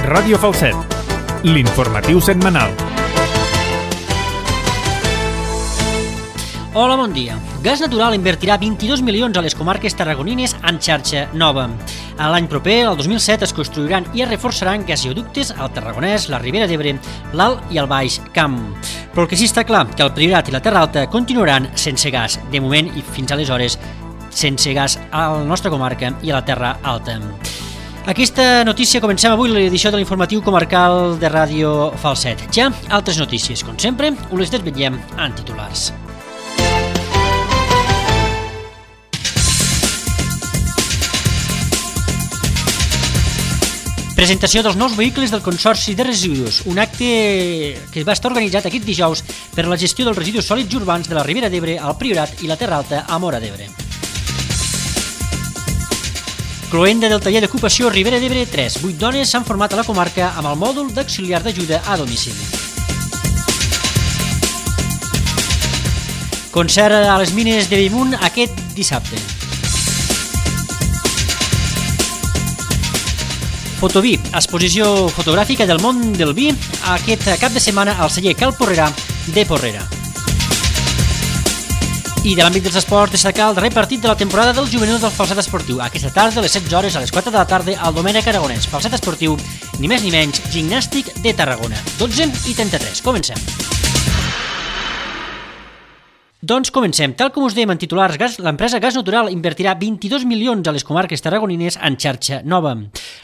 Ràdio Falset, l'informatiu setmanal. Hola, bon dia. Gas Natural invertirà 22 milions a les comarques tarragonines en xarxa nova. L'any proper, el 2007, es construiran i es reforçaran gasoductes al Tarragonès, la Ribera d'Ebre, l'Alt i el Baix Camp. Però el que sí està clar, que el Priorat i la Terra Alta continuaran sense gas, de moment i fins aleshores sense gas a la nostra comarca i a la Terra Alta. Aquesta notícia comencem avui l'edició de l'informatiu comarcal de Ràdio Falset. Ja altres notícies, com sempre, us les desvetllem en titulars. Presentació dels nous vehicles del Consorci de Residus, un acte que va estar organitzat aquest dijous per a la gestió dels residus sòlids urbans de la Ribera d'Ebre, el Priorat i la Terra Alta a Móra d'Ebre. Cloenda del taller d'ocupació Ribera d'Ebre 3. 8 dones s'han format a la comarca amb el mòdul d'auxiliar d'ajuda a domicili. Concert a les mines de Bellmunt aquest dissabte. Fotoví, exposició fotogràfica del món del vi aquest cap de setmana al celler Cal Porrera de Porrera. I de l'àmbit dels esports, destacar el darrer partit de la temporada del juvenil del Falset Esportiu. Aquesta tarda, a les 16 hores, a les 4 de la tarda, al Domènec Aragonès. Falset Esportiu, ni més ni menys, Gimnàstic de Tarragona. 12:33. Comencem. Doncs comencem. Tal com us dèiem en titulars, l'empresa Gas Natural invertirà 22 milions a les comarques tarragonines en xarxa nova.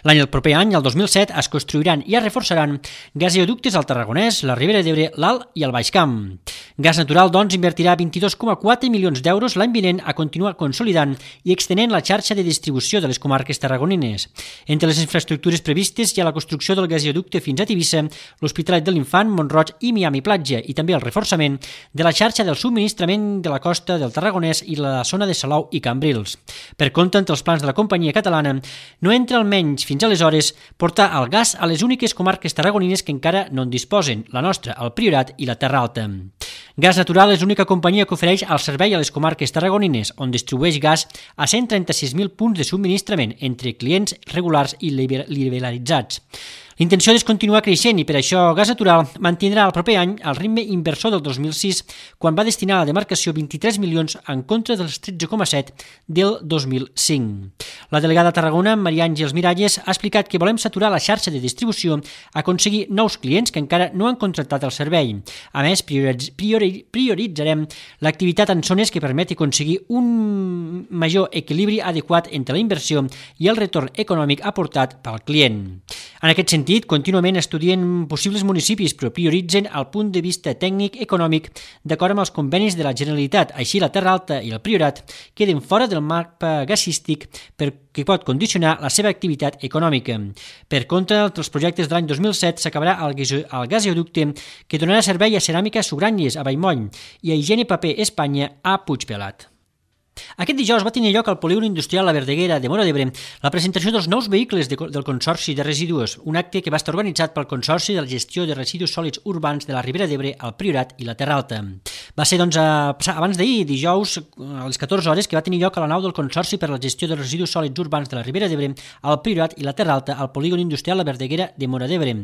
El proper any, el 2007, es construiran i es reforçaran gasoductes al Tarragonès, la Ribera d'Ebre, l'Alt i el Baix Camp. Gas Natural, doncs, invertirà 22,4 milions d'euros l'any vinent a continuar consolidant i extenent la xarxa de distribució de les comarques tarragonines. Entre les infraestructures previstes hi ha la construcció del gasoducte fins a Tivissa, l'Hospitalet de l'Infant, Mont-roig i Miami Platja, i també el reforçament de la xarxa del subministrament de la costa del Tarragonès i la zona de Salou i Cambrils. Per contra, entre els plans de la companyia catalana, no entra almenys fins aleshores portar el gas a les úniques comarques tarragonines que encara no en disposen, la nostra, el Priorat i la Terra Alta. Gas Natural és l'única companyia que ofereix el servei a les comarques tarragonines, on distribueix gas a 136.000 punts de subministrament entre clients regulars i liberalitzats. L'intenció és continuar creixent i per això Gas Natural mantindrà el proper any el ritme inversor del 2006, quan va destinar a la demarcació 23 milions en contra dels 13,7 del 2005. La delegada a Tarragona, Maria Àngels Miralles, ha explicat que volem saturar la xarxa de distribució, aconseguir nous clients que encara no han contractat el servei. A més, prioritzarem l'activitat en zones que permeti aconseguir un major equilibri adequat entre la inversió i el retorn econòmic aportat pel client. En aquest sentit, contínuament estudien possibles municipis, però prioritzen el punt de vista tècnic econòmic d'acord amb els convenis de la Generalitat. Així, la Terra Alta i el Priorat queden fora del mapa gasístic que pot condicionar la seva activitat econòmica. Per contra, els projectes de l'any 2007 s'acabarà el gasoducte que donarà servei a Ceràmica Sugranyes a Vallmoll i a Higiene Paper Espanya a Puigpelat. Aquest dijous va tenir lloc al polígon industrial La Verdaguera de Móra d'Ebre la presentació dels nous vehicles del Consorci de Residus, un acte que va estar organitzat pel Consorci de la Gestió de Residus Sòlids Urbans de la Ribera d'Ebre, el Priorat i la Terra Alta. Va ser, doncs, abans d'ahir, dijous, a les 14 hores, que va tenir lloc a la nau del Consorci per a la Gestió de Residus Sòlids Urbans de la Ribera d'Ebre, el Priorat i la Terra Alta al polígon industrial La Verdaguera de Móra d'Ebre.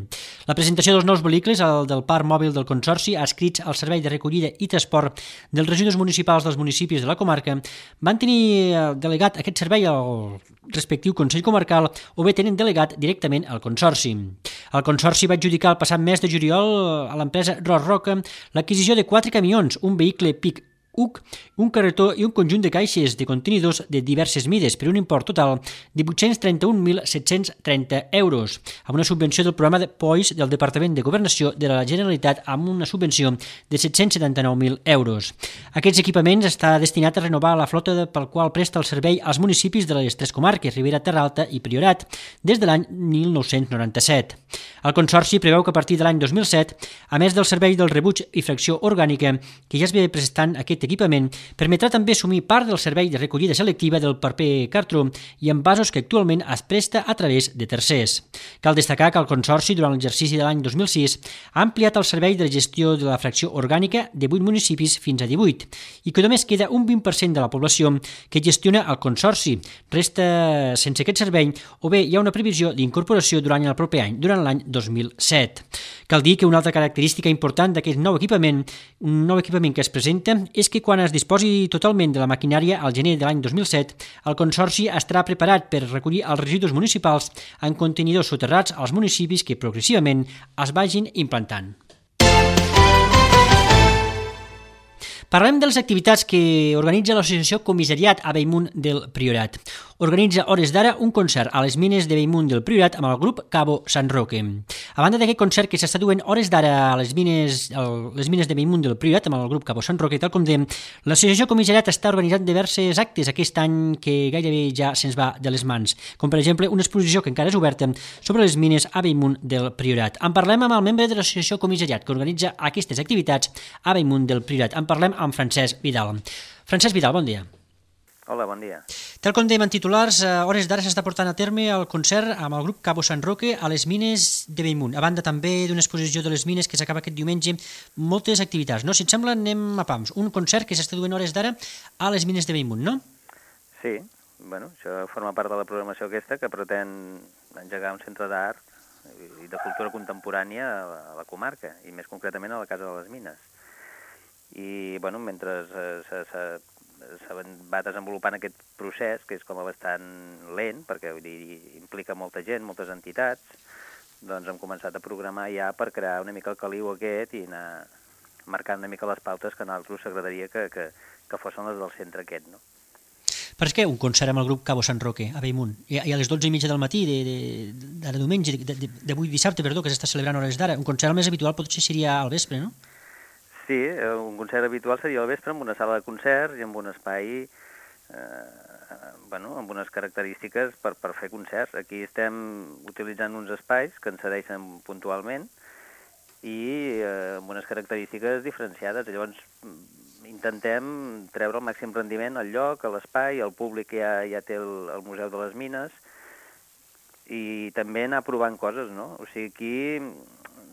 La presentació dels nous vehicles del parc mòbil del Consorci, adscrits al servei de recollida i transport dels residus municipals dels municipis de la comarca, van tenir delegat aquest servei al respectiu Consell Comarcal o bé tenen delegat directament al Consorci. El Consorci va adjudicar el passat mes de juliol a l'empresa Ros Roca l'adquisició de 4 camions, un vehicle PIC UC, un carretó i un conjunt de caixes de contenidors de diverses mides per un import total de 831.730 euros, amb una subvenció del programa de POIS del Departament de Governació de la Generalitat amb una subvenció de 779.000 euros. Aquests equipaments està destinat a renovar la flota pel qual presta el servei als municipis de les tres comarques, Ribera, Terra Alta i Priorat, des de l'any 1997. El Consorci preveu que a partir de l'any 2007, a més del servei del rebuig i fracció orgànica, que ja es ve prestant aquest projecte equipament permetrà també assumir part del servei de recollida selectiva del paper cartró i envasos que actualment es presta a través de tercers. Cal destacar que el Consorci, durant l'exercici de l'any 2006, ha ampliat el servei de gestió de la fracció orgànica de 8 municipis fins a 18 i que només queda un 20% de la població que gestiona el Consorci. Resta sense aquest servei o bé hi ha una previsió d'incorporació durant el proper any, durant l'any 2007. Cal dir que una altra característica important d'aquest nou equipament, un nou equipament que es presenta, és que quan es disposi totalment de la maquinària al gener de l'any 2007, el Consorci estarà preparat per recollir els residus municipals en contenidors soterrats als municipis que progressivament es vagin implantant. Parlem de les activitats que organitza l'associació Comissariat a Bellmunt del Priorat. Organitza hores d'ara un concert a les mines de Bellmunt del Priorat amb el grup Cabo San Roque. A banda d'aquest concert que s'està duent hores d'ara a les mines de Bellmunt del Priorat amb el grup Cabo San Roque, tal com dèiem, l'associació Comissariat està organitzant diversos actes aquest any que gairebé ja se'ns va de les mans, com per exemple una exposició que encara és oberta sobre les mines a Bellmunt del Priorat. En parlem amb el membre de l'associació Comissariat que organitza aquestes activitats a Bellmunt del Priorat. En parlem amb Francesc Vidal. Francesc Vidal, bon dia. Hola, bon dia. Tal com dèiem en titulars, a hores d'ara s'està portant a terme el concert amb el grup Cabo San Roque a les mines de Bellmunt. A banda també d'una exposició de les mines que s'acaba aquest diumenge, moltes activitats, no? Si et sembla, anem a pams. Un concert que s'està duent hores d'ara a les mines de Bellmunt, no? Sí, bueno, això forma part de la programació aquesta que pretén engegar un centre d'art i de cultura contemporània a la comarca, i més concretament a la Casa de les Mines. I, bueno, mentre se va desenvolupant aquest procés, que és com bastant lent, perquè vull dir, implica molta gent, moltes entitats, doncs hem començat a programar ja per crear una mica el caliu aquest i anar marcant una mica les pautes que a nosaltres s'agradaria que fossin les del centre aquest, no? Per què un concert amb el grup Cabo San Roque a Bellmunt? I a les 12:30 del matí de diumenge, d'avui dissabte, perdó, que s'està celebrant hores d'ara. Un concert més habitual potser seria al vespre, no? Sí, un concert habitual seria al vespre amb una sala de concerts i amb un espai, amb unes característiques per fer concerts. Aquí estem utilitzant uns espais que ens cedeixen puntualment i amb unes característiques diferenciades. Llavors intentem treure el màxim rendiment al lloc, a l'espai, el públic ja té el Museu de les Mines i també anar provant coses, no? O sigui, aquí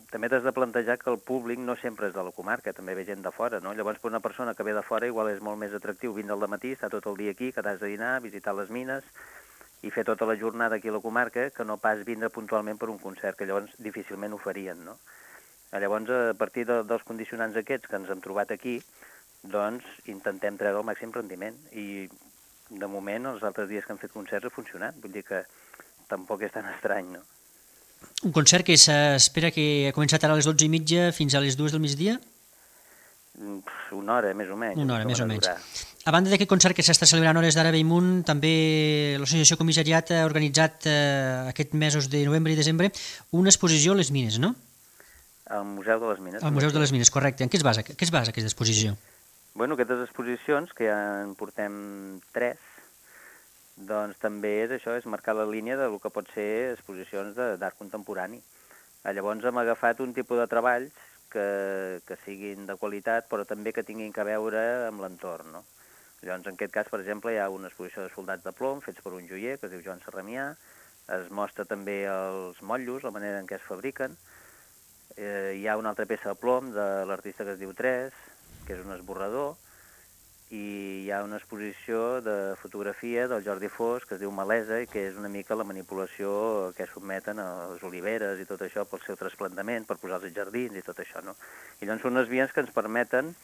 també t'has de plantejar que el públic no sempre és de la comarca, també ve gent de fora, no? Llavors, per una persona que ve de fora igual és molt més atractiu vindre al dematí, estar tot el dia aquí, quedar-se a dinar, visitar les mines i fer tota la jornada aquí a la comarca que no pas vindre puntualment per un concert, que llavors difícilment ho farien, no? Llavors, a partir dels condicionants aquests que ens hem trobat aquí, doncs intentem treure el màxim rendiment i de moment els altres dies que hem fet concerts ha funcionat, vull dir que tampoc és tan estrany, no? Un concert que s'espera que ha començat ara a les 12:30 fins a les 2 del migdia? Una hora, més o menys. Una hora, més o menys. A banda d'aquest concert que s'està celebrant hores d'ara a Bellmunt, també l'associació Comissariat ha organitzat aquests mesos de novembre i desembre una exposició a les mines, no? Al Museu de les Mines. Al Museu de les Mines, correcte. En què es basa aquesta exposició? Bueno, aquestes exposicions, que ja en portem 3, doncs també és això, és marcar la línia del que pot ser exposicions d'art contemporani. Llavors hem agafat un tipus de treballs que siguin de qualitat, però també que tinguin a veure amb l'entorn, no? Llavors, en aquest cas, per exemple, hi ha una exposició de soldats de plom fets per un joier, que es diu Joan Serramià, es mostra també els motllos, la manera en què es fabriquen, hi ha una altra peça de plom de l'artista que es diu Tres, que és un esborrador, i hi ha una exposició de fotografia del Jordi Fos que es diu Malesa i que és una mica la manipulació que sotmeten a les oliveres i tot això pel seu trasplantament, per posar als jardins i tot això, no? I llavors són unes vies que ens permeten,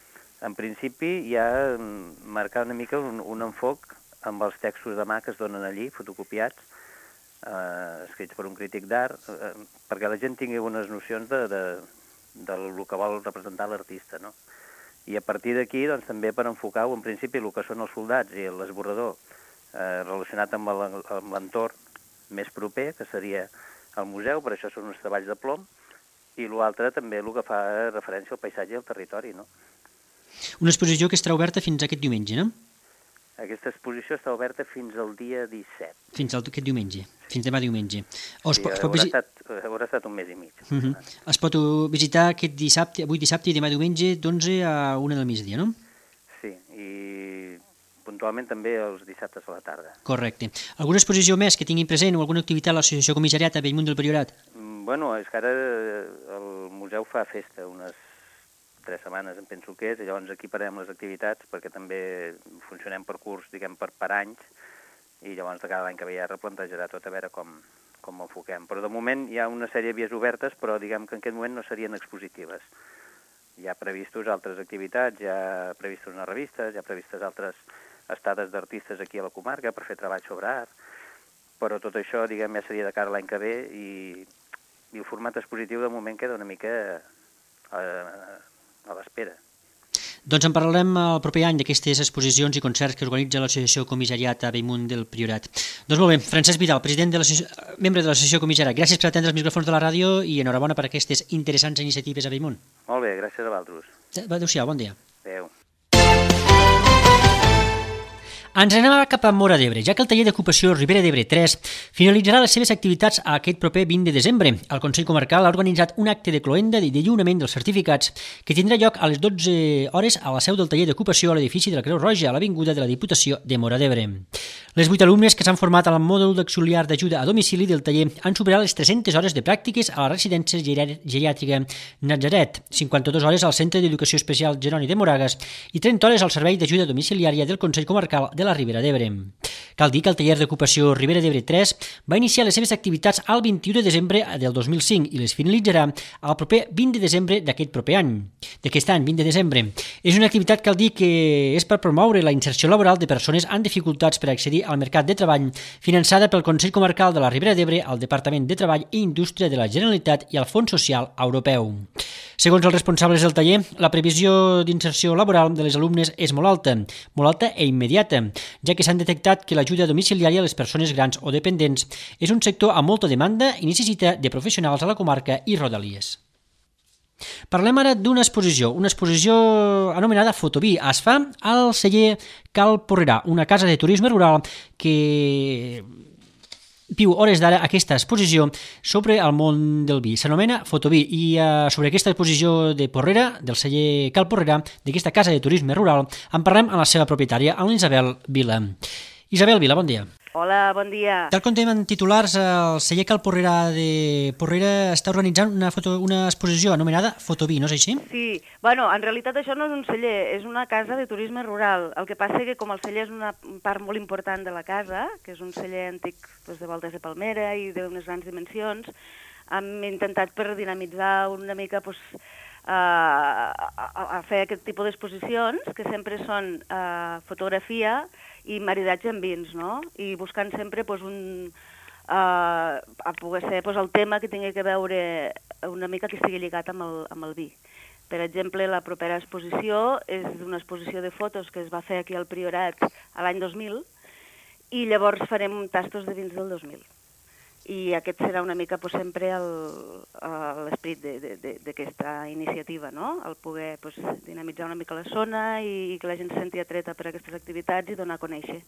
en principi, ja marcar una mica un enfoc amb els textos de mà que es donen allí, fotocopiats, escrits per un crític d'art, perquè la gent tingui unes nocions del que vol representar l'artista, no? I a partir d'aquí, doncs, també per enfocar en principi el que són els soldats i l'esborrador relacionat amb l'entorn més proper, que seria el museu, per això són uns treballs de plom, i l'altre també el que fa referència al paisatge i al territori, no? Una exposició que estarà oberta fins aquest diumenge, no? Aquesta exposició està oberta fins al dia 17. Fins aquest diumenge, fins demà diumenge. Sí, haurà estat un mes i mig. Es pot visitar avui dissabte i demà diumenge d'11 a 1 del migdia, no? Sí, i puntualment també els dissabtes a la tarda. Correcte. Alguna exposició més que tinguin present o alguna activitat a l'Associació Comissariat a Bellmunt del Priorat? Bueno, és que ara el museu fa festa unes 3 setmanes, em penso que és, i llavors aquí parem les activitats perquè també funcionem per curs, diguem, per anys, i llavors de cada any que ve ja replantejarà tot a veure com ho enfoquem. Però de moment hi ha una sèrie de vies obertes, però diguem que en aquest moment no serien expositives. Hi ha previstos altres activitats, hi ha previstos unes revistes, hi ha previstes altres estades d'artistes aquí a la comarca per fer treball sobre art, però tot això, diguem, ja seria de cara a l'any que ve i el format expositiu de moment queda una mica a l'espera. Doncs en parlarem el proper any d'aquestes exposicions i concerts que organitza l'Associació Comissariat a Bellmunt del Priorat. Doncs molt bé, Francesc Vidal, membre de l'Associació Comissariat, gràcies per atendre els micròfons de la ràdio i enhorabona per aquestes interessants iniciatives a Bellmunt. Molt bé, gràcies a vosaltres. Adéu-siau, bon dia. Adéu. Ens anem cap a Móra d'Ebre, ja que el taller d'ocupació Ribera d'Ebre 3 finalitzarà les seves activitats aquest proper 20 de desembre. El Consell Comarcal ha organitzat un acte de cloenda de lliurament dels certificats que tindrà lloc a les 12 hores a la seu del taller d'ocupació a l'edifici de la Creu Roja, a l'Avinguda de la Diputació de Móra d'Ebre. Les 8 alumnes que s'han format al mòdul d'auxiliar d'ajuda a domicili del taller han superat les 300 hores de pràctiques a la residència geriàtrica Natzaret, 52 hores al Centre d'Educació Especial Jeroni de Moragas i 30 hores al Servei d'Ajuda Domiciliària del Consell Comarcal de la Ribera d'Ebre. Cal dir que el taller d'ocupació Ribera d'Ebre 3 va iniciar les seves activitats el 21 de desembre del 2005 i les finalitzarà el proper 20 de desembre d'aquest any, 20 de desembre. És una activitat, cal dir, que és per promoure la inserció laboral de persones amb dificultats per accedir al mercat de treball, finançada pel Consell Comarcal de la Ribera d'Ebre, el Departament de Treball i Indústria de la Generalitat i el Fons Social Europeu. Segons els responsables del taller, la previsió d'inserció laboral de les alumnes és molt alta i immediata, ja que s'han detectat que l'ajuda domiciliària a les persones grans o dependents és un sector amb molta demanda i necessita de professionals a la comarca i rodalies. Parlem ara d'una exposició anomenada Fotoví. Es fa al celler Cal Porrerà, una casa de turisme rural que viu hores d'ara aquesta exposició sobre el món del vi. S'anomena Fotoví i sobre aquesta exposició de Porrera, del celler Cal Porrerà, d'aquesta casa de turisme rural, en parlem amb la seva propietària, amb l'Isabel Vila. Isabel Vila, bon dia. Hola, bon dia. Tal com tenim en titulars, el celler Cal Porrerà de Porrera està organitzant una exposició anomenada Fotoví, no és així? Sí, bueno, en realitat això no és un celler, és una casa de turisme rural. El que passa és que com el celler és una part molt important de la casa, que és un celler antic de voltes de palmera i d'unes grans dimensions, hem intentat per dinamitzar una mica a fer aquest tipus d'exposicions, que sempre són fotografia i maridatge amb vins, no? I buscant sempre a poder ser el tema que tingui que veure una mica que estigui lligat amb el vi. Per exemple, la propera exposició és una exposició de fotos que es va fer aquí al Priorat l'any 2000 i llavors farem tastos de vins del 2000. I aquest serà una mica sempre l'esperit d'aquesta iniciativa, no? El poder dinamitzar una mica la zona i que la gent se senti atreta per aquestes activitats i donar a conèixer.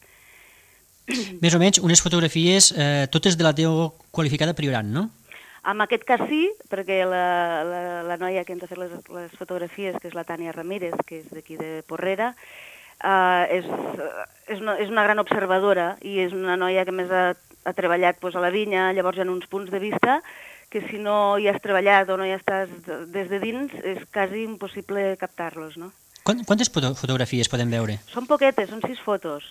Més o menys unes fotografies totes de la teva qualificada Priorat, no? En aquest cas sí, perquè la noia que ens ha fet les fotografies, que és la Tània Ramírez, que és d'aquí de Porrera, és una gran observadora i és una noia que més ha treballat a la vinya, llavors hi ha uns punts de vista que si no hi has treballat o no hi estàs des de dins és quasi impossible captar-los, no? Quantes fotografies podem veure? Són poquetes, són 6 fotos.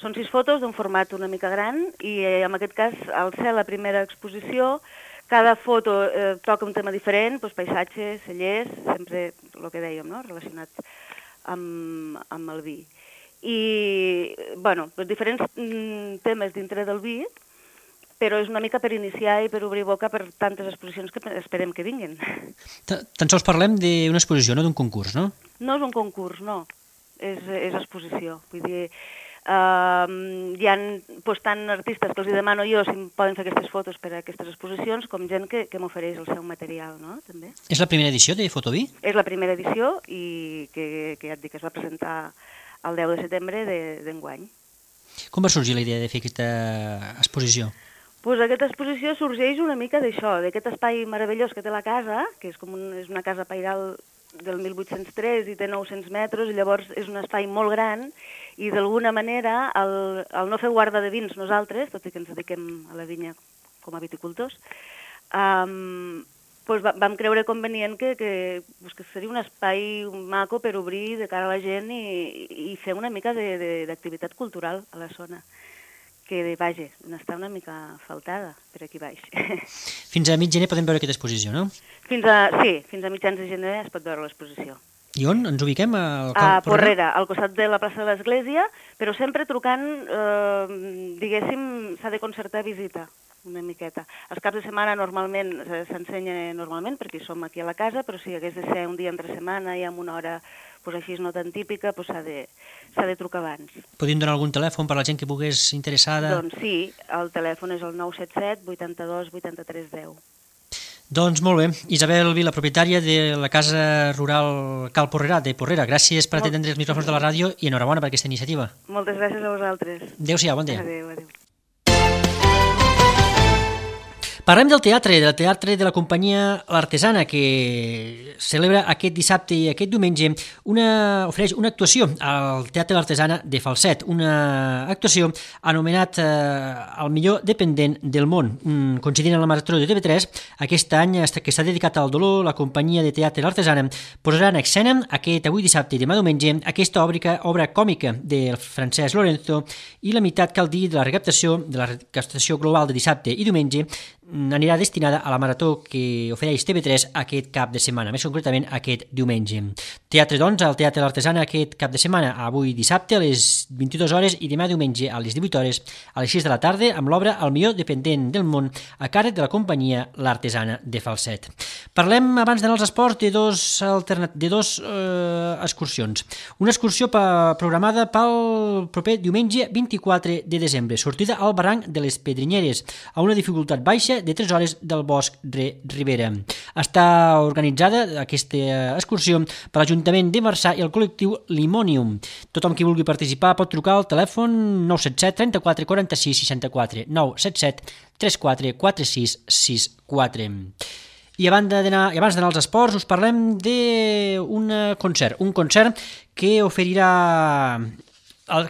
Són 6 fotos d'un format una mica gran i en aquest cas, al ser la primera exposició, cada foto toca un tema diferent, paisatges, cellers, sempre el que dèiem, no? Relacionat amb el vi. I, bueno, diferents temes dintre del vi, però és una mica per iniciar i per obrir boca per tantes exposicions que esperem que vinguin. Tan sols parlem d'una exposició, no d'un concurs, no? No és un concurs, no. És exposició. Vull dir, hi ha tant artistes que els demano jo si poden fer aquestes fotos per a aquestes exposicions com gent que m'ofereix el seu material, no? També. És la primera edició de Fotoví? És la primera edició i que ja et dic que es va presentar el 10 de setembre d'enguany. Com va sorgir la idea de fer aquesta exposició? Doncs aquesta exposició sorgeix una mica d'això, d'aquest espai meravellós que té la casa, que és una casa pairal del 1803 i té 900 metres, llavors és un espai molt gran i d'alguna manera, al no fer guarda de vins nosaltres, tot i que ens dediquem a la vinya com a viticultors, doncs vam creure convenient que seria un espai maco per obrir de cara a la gent i fer una mica d'activitat cultural a la zona, que, vaja, n'està una mica faltada per aquí baix. Fins a mig gener podem veure aquesta exposició, no? Fins a mitjans de gener es pot veure l'exposició. I on ens ubiquem? A Porrera, al costat de la plaça de l'Església, però sempre trucant, diguéssim, s'ha de concertar visita una miqueta. Els caps de setmana normalment s'ensenya normalment, perquè som aquí a la casa, però si hagués de ser un dia entre setmana i amb una hora així no tan típica, s'ha de trucar abans. Podríem donar algun telèfon per a la gent que pogués interessada? Doncs sí, el telèfon és el 977 82 83 10. Doncs molt bé. Isabel Vila, propietària de la Casa Rural Cal Porrera, de Porrera. Gràcies per atendre els micròfons de la ràdio i enhorabona per aquesta iniciativa. Moltes gràcies a vosaltres. Adéu-siau, bon dia. Adéu. Parlem del teatre de la companyia L'Artesana, que celebra aquest dissabte i aquest diumenge ofereix una actuació al Teatre L'Artesana de Falset, una actuació anomenat el millor dependent del món. Coincidint amb la Marató de TV3, aquest any que està dedicat al dolor, la companyia de teatre L'Artesana posarà en escena avui dissabte i demà diumenge aquesta obra còmica del Francesc Lorenzo i la meitat, cal dir, de la recaptació global de dissabte i diumenge anirà destinada a la marató que ofereix TV3 aquest cap de setmana, més concretament aquest diumenge. Teatre, doncs, al Teatre L'Artesana aquest cap de setmana, avui dissabte a les 22 hores i demà diumenge a les 18 hores a les 6 de la tarda amb l'obra El millor dependent del món a càrrec de la companyia L'Artesana de Falset. Parlem, abans d'anar als esports, de dos excursions. Una excursió programada pel proper diumenge 24 de desembre, sortida al barranc de les Pedrinyeres, a una dificultat baixa de 3 hores del Bosc de Ribera. Està organitzada aquesta excursió per l'Ajuntament de Marçà i el col·lectiu Limonium. Tothom qui vulgui participar pot trucar al telèfon 977 34 46 64 977 34 46 64. I abans d'anar als esports us parlem d'un concert, que s'oferirà al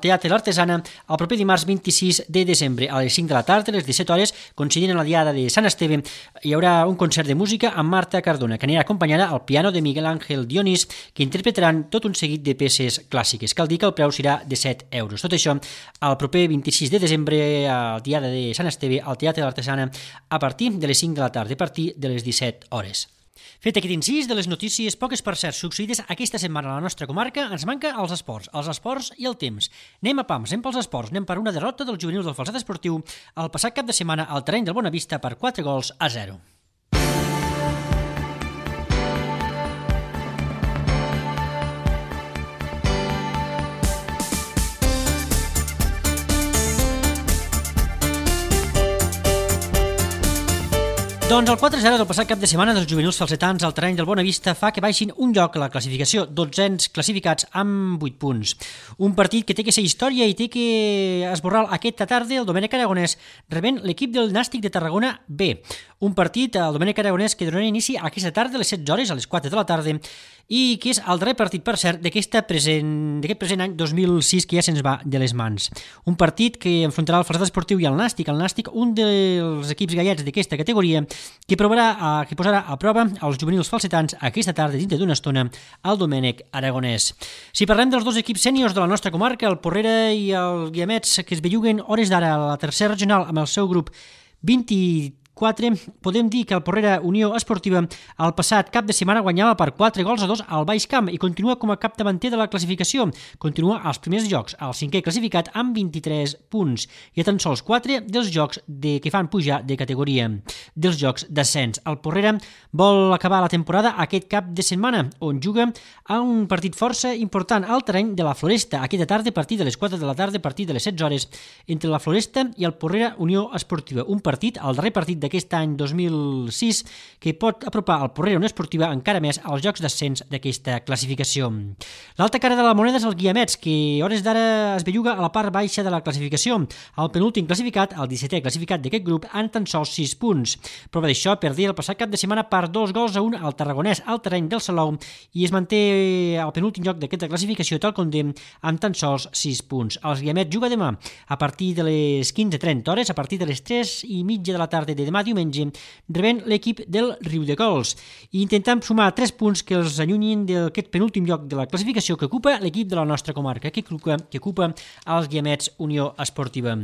Teatre L'Artesana el proper dimarts 26 de desembre a les 5 de la tarda, a les 17 hores, coincidint amb la diada de Sant Esteve. Hi haurà un concert de música amb Marta Cardona, que anirà acompanyada al piano de Miguel Ángel Dionís, que interpretaran tot un seguit de peces clàssiques. Cal dir que el preu serà de 7 euros. Tot això el proper 26 de desembre, a la diada de Sant Esteve, al Teatre L'Artesana, a partir de les 5 de la tarda, a partir de les 17 hores. Fet aquest incís de les notícies poques per cert succeïdes aquesta setmana a la nostra comarca, ens manca els esports i el temps. Anem a pams, anem pels esports, anem per una derrota dels juvenils del Falset Esportiu el passat cap de setmana al terreny del Bonavista per 4-0. Doncs el 4-0 del passat cap de setmana dels juvenils falsetans al terreny del Bonavista fa que baixin un lloc a la classificació, 12 classificats amb 8 punts. Un partit que té que ser història i té que esborrar aquesta tarda el Domènec Aragonès rebent l'equip del Nàstic de Tarragona B. Un partit, el Domènec Aragonès, que donarà inici aquesta tarda a les 16 hores, a les 4 de la tarda, i que és el darrer partit, per cert, d'aquest present any 2006 que ja se'ns va de les mans. Un partit que enfrontarà el Falset Esportiu i el Nàstic, un dels equips gallets d'aquesta categoria, que posarà a prova els juvenils falsetans aquesta tarda dintre d'una estona al Domènec Aragonès. Si parlem dels dos equips sèniors de la nostra comarca, el Porrera i el Guiamets, que es belluguen hores d'ara a la tercera regional amb el seu grup 24, podem dir que el Porrera Unió Esportiva el passat cap de setmana guanyava per 4-2 al Baix Camp i continua com a capdavanter de la classificació. Continua als primers llocs, al 5è classificat amb 23 punts i a tan sols 4 dels jocs que fan pujar de categoria, dels jocs d'ascens. El Porrera vol acabar la temporada aquest cap de setmana, on juga a un partit força important al terreny de la Floresta, aquesta tarda a partir de les 4 de la tarda, a partir de les 16 hores, entre la Floresta i el Porrera Unió Esportiva. Un partit, el darrer partit d'aquest d'aquest any 2006 que pot apropar el Porrera Unió Esportiva encara més als jocs d'ascens d'aquesta classificació. L'altra cara de la moneda és el Guiamets, que a hores d'ara es belluga a la part baixa de la classificació. El penúltim classificat, el 17è classificat d'aquest grup, en tan sols 6 punts. Prova d'això, perdia el passat cap de setmana per 2-1 al Tarragonès al terreny del Salou i es manté al penúltim lloc d'aquesta classificació tal com dèiem amb tan sols 6 punts. Els Guiamets juga demà a partir de les 15:30 hores, a partir de les 3:30 de la tarda de demà diumenge, rebent l'equip del Riudecols i intentant sumar 3 punts que els allunyin d'aquest penúltim lloc de la classificació que ocupa l'equip de la nostra comarca, que ocupa els Guiamets Unió Esportiva.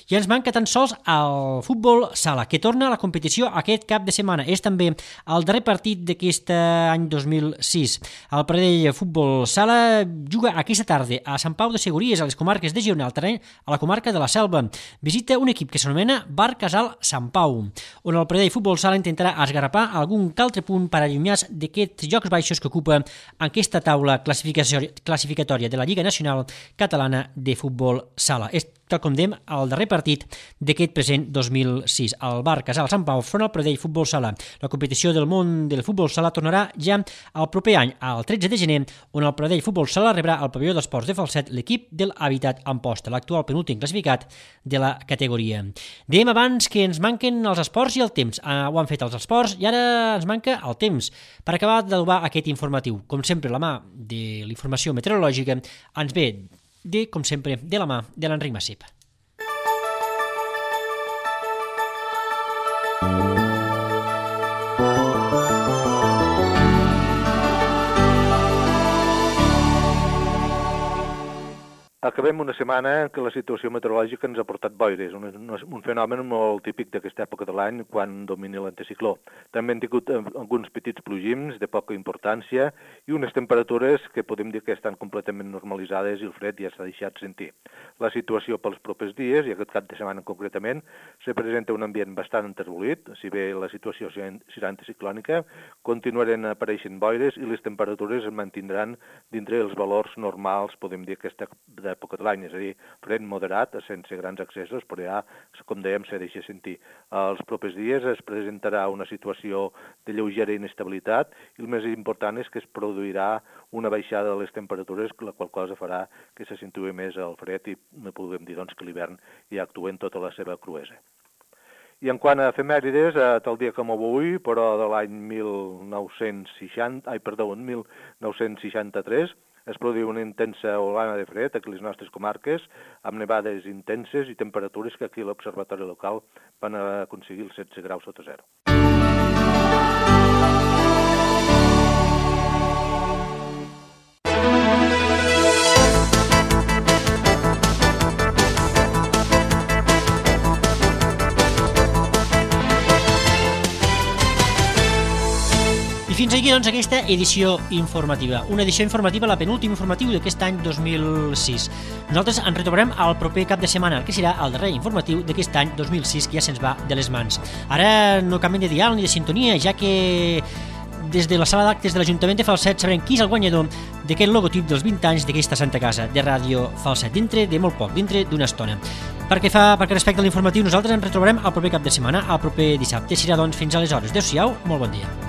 I ens manca tan sols el futbol sala, que torna a la competició aquest cap de setmana. És també el darrer partit d'aquest any 2006. El Pradell Futbol Sala juga aquesta tarda a Sant Pau de Segúries, a les comarques de Girona, al terreny a la comarca de la Selva. Visita un equip que s'anomena Bar Casal Sant Pau, on el Pradell Futbol Sala intentarà esgarrapar algun altre punt per allunyar-se d'aquests jocs baixos que ocupa aquesta taula classificatòria de la Lliga Nacional Catalana de Futbol Sala. És, tal com dèiem, el darrer partit d'aquest present 2006. El Bar Casal Sant Pau front al Pradell Futbol Sala. La competició del món del futbol sala tornarà ja el proper any, el 13 de gener, on el Pradell Futbol Sala rebrà al pavelló d'esports de Falset l'equip del Habitat Amposta, l'actual penúltim classificat de la categoria. Dèiem abans que ens manquen els esports i el temps. Ho han fet els esports i ara ens manca el temps. Per acabar d'adobar aquest informatiu, com sempre, la mà de l'informació meteorològica ens ve com sempre, de la mà de l'Enric Massip. Acabem una setmana en què la situació meteorològica ens ha portat boires, un fenomen molt típic d'aquesta època de l'any quan domina l'anticicló. També hem tingut alguns petits plogims de poca importància i unes temperatures que podem dir que estan completament normalitzades i el fred ja s'ha deixat sentir. La situació pels propers dies, i aquest cap de setmana concretament, se presenta un ambient bastant enterbolit, si bé la situació serà anticiclònica, continuaran apareixent boires i les temperatures es mantindran dintre els valors normals, podem dir, aquesta d'època de l'any, és a dir, fred moderat, sense grans accessos, però ja, com dèiem, se deixa sentir. Els propers dies es presentarà una situació de lleugera inestabilitat i el més important és que es produirà una baixada de les temperatures, la qual cosa farà que se sentui més el fred i no podem dir doncs, que l'hivern ja actua en tota la seva cruesa. I en quant a efemèrides, tal dia com avui, però de l'any 1963, es produïu una intensa olana de fred aquí a les nostres comarques, amb nevades intenses i temperatures que aquí a l'observatori local van aconseguir els 16 graus sota zero. Fins aquí, doncs, aquesta edició informativa. Una edició informativa, la penúltima informatiu d'aquest any 2006. Nosaltres ens retrobarem al proper cap de setmana, que serà el darrer informatiu d'aquest any 2006, que ja se'ns va de les mans. Ara no canviem de dial ni de sintonia, ja que des de la sala d'actes de l'Ajuntament de Falset sabrem qui és el guanyador d'aquest logotip dels 20 anys d'aquesta Santa Casa de Ràdio Falset, dintre de molt poc, dintre d'una estona. Perquè respecte a l'informatiu, nosaltres ens retrobarem al proper cap de setmana, al proper dissabte. Serà, doncs, fins aleshores. Adéu-siau, molt bon dia.